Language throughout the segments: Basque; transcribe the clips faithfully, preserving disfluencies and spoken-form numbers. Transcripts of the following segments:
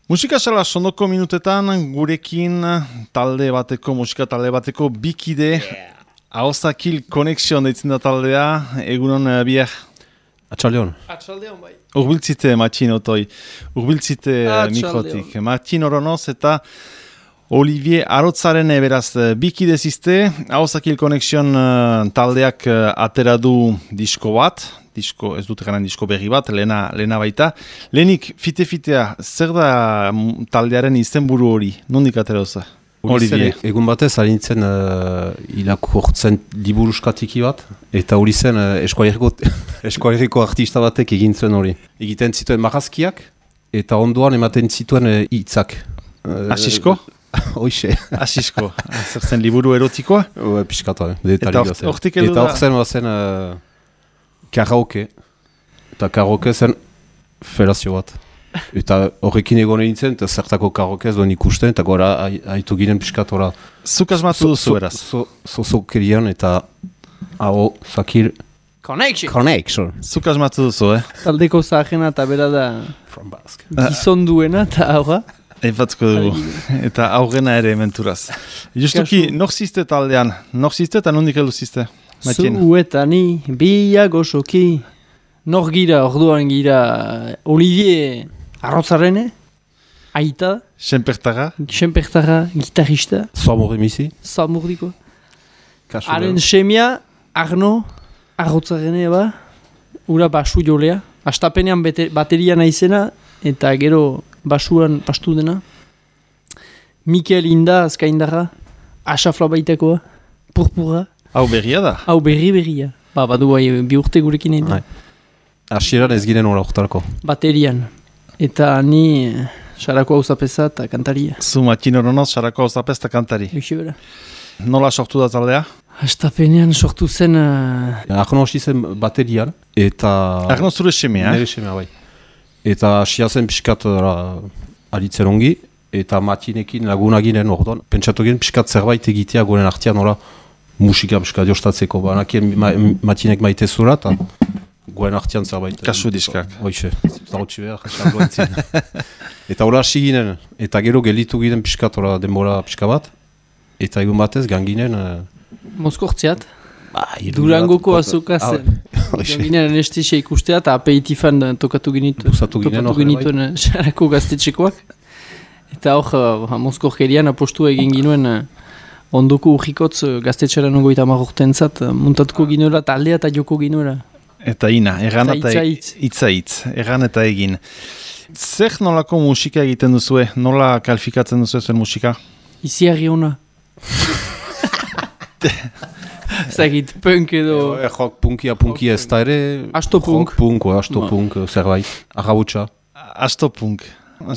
Musika sala sondoko minutetan gurekin talde bateko, musika talde bateko bikide, yeah. Ahozakil Connection deitzen da taldea, egunon uh, bier. Atxaldeon. Atxaldeon bai. Urbiltzite Matxin otoi, urbiltzite uh, mikrotik. Matxin Oronoz eta Olivier Arotzaren beraz bikide ziste, Ahozakil Connection uh, taldeak uh, atera du disko bat, disko, ez dut garen disko berri bat, lehena, lehena baita. Lehenik, fite-fitea, zer da taldearen izenburu hori? Nondik atera oza? Olivier. Egun batez, harintzen uh, irakurtzen liburuskatiki bat, eta hori zen uh, eskualeriko artista batek egin zuen hori. Egiten zituen marrazkiak, eta ondoan ematen zituen hitzak. Uh, Asisko? Hoxe. Asisko. Zer zen liburu erotikoa? Ue, piskatoa. Eta hortik edo da? Eta hor zen, zen uh, karaoke. Eta karaoke zen felazio bat. Eta horrekin egon nintzen, eta zertako karaoke ez duen ikusten, eta gora haitu ginen piskatora. Zuk asmatu duzu eraz? Zozokerian eta hau zakir... Connection! Connection! Zuk asmatu duzu, eh? Taldeko zahena eta bera da... From Basque. Gizon duena eta aurra. Eipatzuko dugu. Eta aurrena ere menturaz. Justuki, nor ziste taldean? Nor ziste eta nondik heldu ziste? Zu eta ni, biak osoki. Nor gira, orduan gira Olivier Arrotzarrene, aita. Senpertara. Senpertara, gitarista. Zamur emisi. Zamurdiko. Haren semia, Arno, Arrotzarrene ba. Ura basu jolea. Astapenean bateria naizena, eta gero basuan pastu dena. Mikel Inda, azkaindarra. Asafla baitakoa. Purpura. Hau berria da? Hau berri berria. Ba, badu bai, bi urte gurekin egin da. Asieran ez ginen hori oktarko. Baterian. Eta ni Sarako Auzapeza eta kantaria. Zu Matxin Oronoz, Sarako Auzapez eta kantari. Eixi bera. Nola sortu da taldea? Astapenean sortu zen... Uh... Arno hasi zen baterian, eta... Arno zure semea, eh? Nere semea, bai. Eta asia zen piskat aritzen ongi, eta Matxinekin laguna ginen orduan. Pentsatu ginen piskat zerbait egitea goren artean nola musika piskat jostatzeko. Banakien ma, Matxinek maite zura, eta... Goen artian zerbait. Kasu diskak. Hoxe, zautsi behar, xargo entzien. Eta hola hasi ginen, eta gero gelitu ginen piskat, hola denbora piska bat. Eta egun batez, ganginen... Uh... Moskortziat. Ba, Durangoko azoka zen. Ganginen anestesia ikustea, eta aperitifan tokatu ginitu. Busatu ginen hori bai. Sarako gaztetxekoak. Eta hor, uh, Moskorkerian apostua egin ginuen... Uh, ondoko urrikotz uh, gaztetxeran ongoita marrorten zat, uh, muntatuko ginuela, taldea eta joko ginuela. Eta ina, erran eta itza itza itz, erran eta egin. Zer nolako musika egiten duzue? Nola kalifikatzen duzue zuen musika? Iziarri hona. Zagit, punk edo... E, rock punkia, punkia ez da ere... Astopunk. Rock punk, astopunk, zerbait. Arrautxa. Astopunk.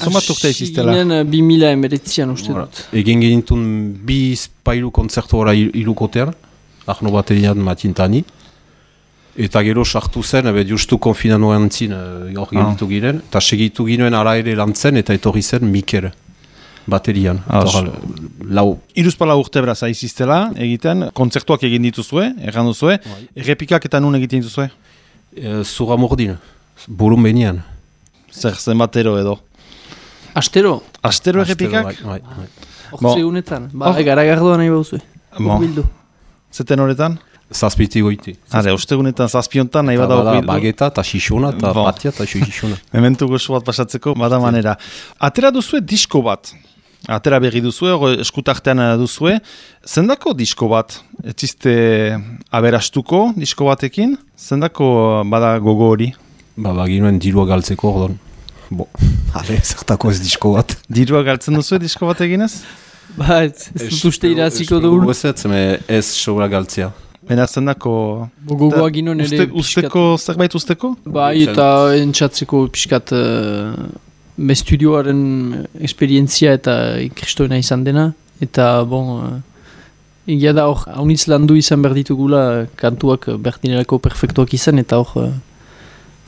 Zomat urte iziztela? Ginen bi mila emeretzian uste dut. Egin genitun bi spailu konzertu ora ilukotean. Arno baterian matintani. Eta gero sartu zen, ebe justu konfinanoan zin hor uh, genitu ginen, eta segitu ginen ara ere lantzen, eta etorri zen Mikel baterian. Ah, lau. Iruzpala urte beraz aiziztela egiten, kontzertuak egin dituzue, erran duzue, bai. Errepikak eta nun egiten dituzue? E, Zura mordin, burun benian. Zer zen batero edo? Astero? Astero errepikak? Bai, bai, bai. Hortze unetan, ba, oh. Garagardoa nahi bauzue. Bon. Zeten horretan? Zazpiti goiti. Hale, ustegunetan zazpiontan nahi bada okbildu. Bageta eta xixuna eta bon. Batia eta xixuna. Mementu goxo bat pasatzeko, bada manera. Atera duzue disko bat. Atera berri duzue, eskutartean duzue. Zendako disko bat? Etzizte aberastuko disko batekin? Zendako bada gogo hori? Ba, baginuen dirua galtzeko ordon. Bo, hale, zertako ez disko bat. Dirua galtzen duzue disko bat eginez? Ba, ez dut uste iraziko dugu. Ez ez sobra galtzea. Baina zendako... Gogoa ginen ere... Usteko, zerbait usteko? Bai, eta entzatzeko piskat... Uh, me studioaren esperientzia eta kristoena izan dena. Eta, bon... Uh, egia da hor, haunitz landu izan behar ditugula kantuak berdinelako perfektuak izan, eta hor... Uh,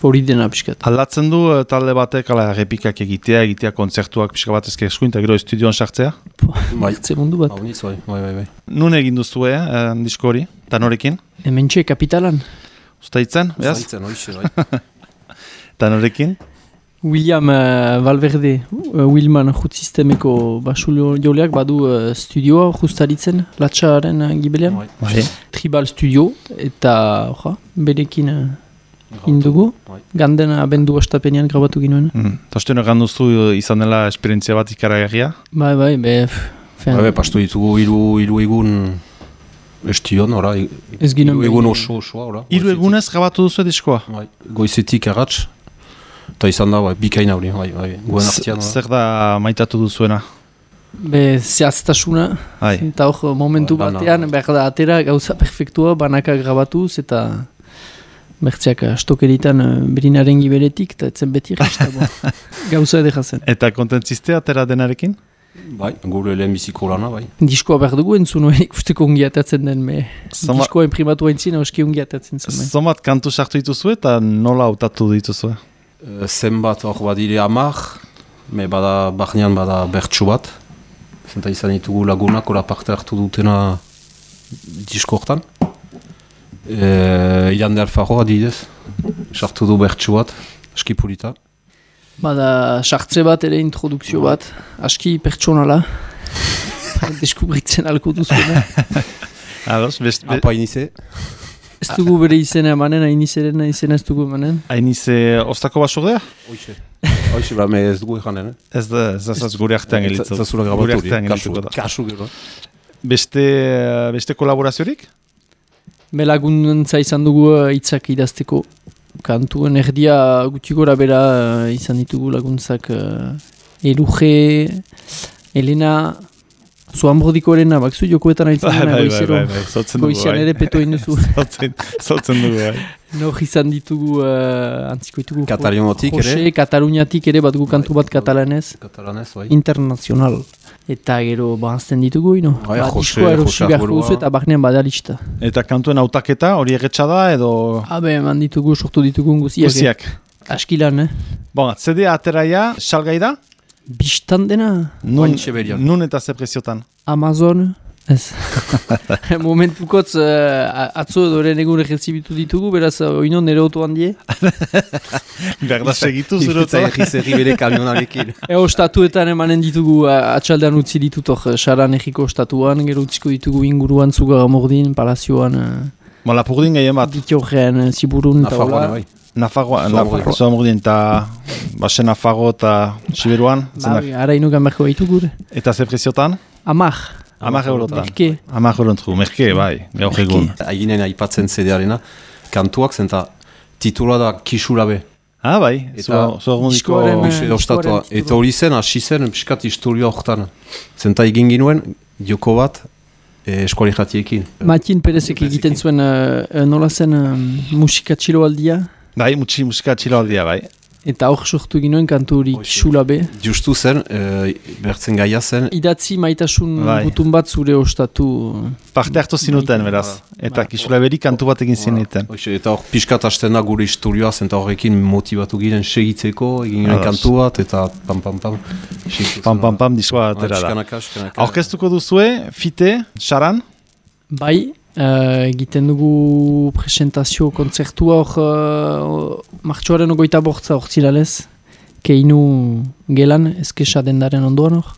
hori dena piskat. Aldatzen du uh, talde batek, ala, repikak egitea, egitea kontzertuak pixka bat ezke eskuin, eta gero estudioan sartzea? Bai, ze mundu bat. Haunitz, bai, bai, bai. Nun egin duzue, eh, disko hori, eta norekin? Hementxe, kapitalan. Uztaitzen, behaz? Uztaitzen, hoixe, bai. Eta norekin? William uh, Valverde, uh, Wilman jutsistemeko basu joleak badu uh, studioa justaritzen, latxaren uh, gibelean. Bai. Tribal Studio, eta oja, berekin uh, indugu. Ganden abendu ostapenean grabatu ginoen. Mm. Tosten egan duzu izan dela esperientzia bat ikaragarria? Bai, bai, be... Bai, bai, pastu ditugu hiru hiru egun estion, ora. Ez ginen hiru egun oso osoa, ora. Hiru egunez grabatu duzu diskoa? Bai, goizetik erratz. Eta izan da, bai, bikaina hori, bai, bai, guen artean. Zer da maitatu duzuena? Be, zehaztasuna. Bai. Eta hor, momentu Ba, batean, behar da, atera gauza perfektua, banaka grabatuz, eta... Bertzeak stokeritan berinaren giberetik, eta etzen beti resta, bo. Gauza edera zen. Eta kontentziste atera denarekin? Bai, gure lehen biziko lana, bai. Diskoa behar dugu entzun, ikusteko ongi atatzen den, me Zoma... diskoa imprimatu haintzin, hauski ongi atatzen zen. Zomat kantu sartu dituzu eta nola hautatu dituzu? E, zenbat hor badire amar, me bada, barnean bada bertsu bat. Zenta izan ditugu lagunak, ora parte hartu dutena disko hortan. E, Ilan de Alfaro adidez, sartu du bertsu bat, aski pulita. Bada, sartze bat ere introdukzio bat, aski pertsonala, deskubritzen alko duzuena. Ados, best... Apa inize? Ez dugu bere izena emanen, hainizeren izena ez dugu emanen. Hainize ostako basordea? Hoixe. Hoixe, ba, me ez dugu ekanen, eh? Ez da, ez da, gure artean gelitzu. Ez da zura grabatu hori, kasu gero. Beste, beste kolaboraziorik? Belaguntza izan dugu hitzak idazteko. Kantuen erdia gutxi gora bera uh, izan ditugu laguntzak uh, Eluge, Elena, Zoambrodiko Elena, bakzu jokoetan aitzen dena goizero. Bai, bai, bai, zotzen dugu, Goizian ere peto induzu. Zotzen dugu, bai. Nor izan ditugu, uh, antziko ditugu. Kataluniatik ere? Jose, Kataluniatik ere bat gu kantu bat katalanez. Katalanez, bai. Internazional. Eta gero banzten ditugu, ino? Bai, ba, Jose, diskoa erosi Jose beharko Arburua. duzu eta barnean badalista. Eta kantuen hautaketa hori erretxa da edo... Habe, eman ditugu, sortu ditugu guziak. Guziak. Askilan, eh? Bon, C D ateraia, salgai da? Bistan dena? Nun, Ointxe berian. nun eta ze preziotan? Amazon? Ez. Momentukotz, uh, atzo doren egun rezibitu ditugu, beraz, oino nire oto handie. Berda segitu zure Ifritza egiz erri bere kamionarekin. Ego statuetan emanen ditugu, uh, atxaldean utzi ditutok, uh, Saran egiko statuan, gero utziko ditugu inguruan Zugaramordin, Palazioan, uh, Bon, Lapurdin gehien bat. Bitorrean, uh, Ziburun, eta Nafarroa, hola. bai. Nafarroa, Zuamurdin. Zuamurdin, eta Basen Nafarro eta Siberuan. Ba, ara inugan berko baitu gure. Eta ze preziotan? Amar. Amar eurotan. Merke. Amar eurotru, merke, bai, gaur egun. Aginen aipatzen C D-arena, kantuak zenta titula da Kisurabe. Ah, bai, Eta zuagundiko... diskoaren, Hoxe ostatua. diskoaren Eta hori zen, hasi zen, piskat historia horretan. Zenta egin ginuen, joko bat, e, eskuali jatiekin. Matin Perezek egiten zuen, uh, uh, nola zen uh, musika txiloaldia, Bai, mutxi musika txiloaldia, bai. eta hor sortu ginoen kantu hori Hoxe. Kisulabe. Justu zen, e, bertzen gaia zen, Idatzi maitasun Bai. gutun bat zure ostatu. Parte hartu zinuten, beraz. Eta kisulaberi kantu bat egin zineten. Hoxe, eta hor piskat hasten da gure historioa, zenta horrekin motivatu giren segitzeko, egin ginen Ados. kantu bat, eta pam pam pam. Pam, pam, pam, diskoa atera da. Piskanaka, piskanaka. Aurkeztuko duzue, fite, Saran? Bai, uh, egiten dugu presentazio kontzertua hor uh, martxoaren ogoita bortza hor zilalez, keinu gelan, eskesa dendaren ondoan hor.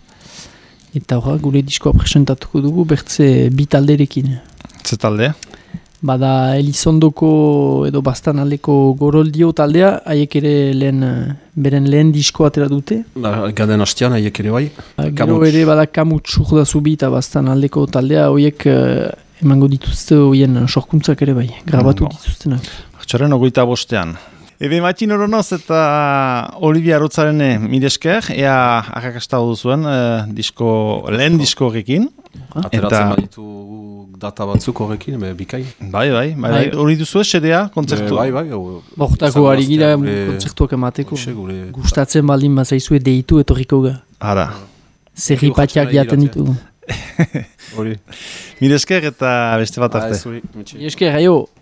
Eta hor, gure diskoa presentatuko dugu bertze bi talderekin. Ze talde? Bada Elizondoko edo bastan aldeko goroldio taldea, haiek ere lehen, uh, beren lehen diskoa atera dute. Ba, gaden hastean, haiek ere bai. Gero Kamuts. ere bada Kamuts Urdazubi eta bastan aldeko taldea, horiek uh, emango dituzte horien sorkuntzak ere bai, grabatu Mm, bon. dituztenak. Martxoaren ogoita bostean. Ebe Matin Oronoz eta Olivia Arotzaren mire esker, ea arrakasta duzuen eh, disko, lehen disko horrekin. Ateratzen Eta- baditu data batzuk horrekin, be, bikai. Bai, bai, bai, bai. Bai. Hori duzu esedea, kontzertu. Bai, bai, bai. Bortako ari gira kontzertuak emateko. Gure... Gustatzen baldin bazaizue deitu etorriko ga. Ara. Zerripatiak jaten ditugu. Hori. Mire esker eta beste bat Ah, arte. ez hori, metxe. Esker, aio!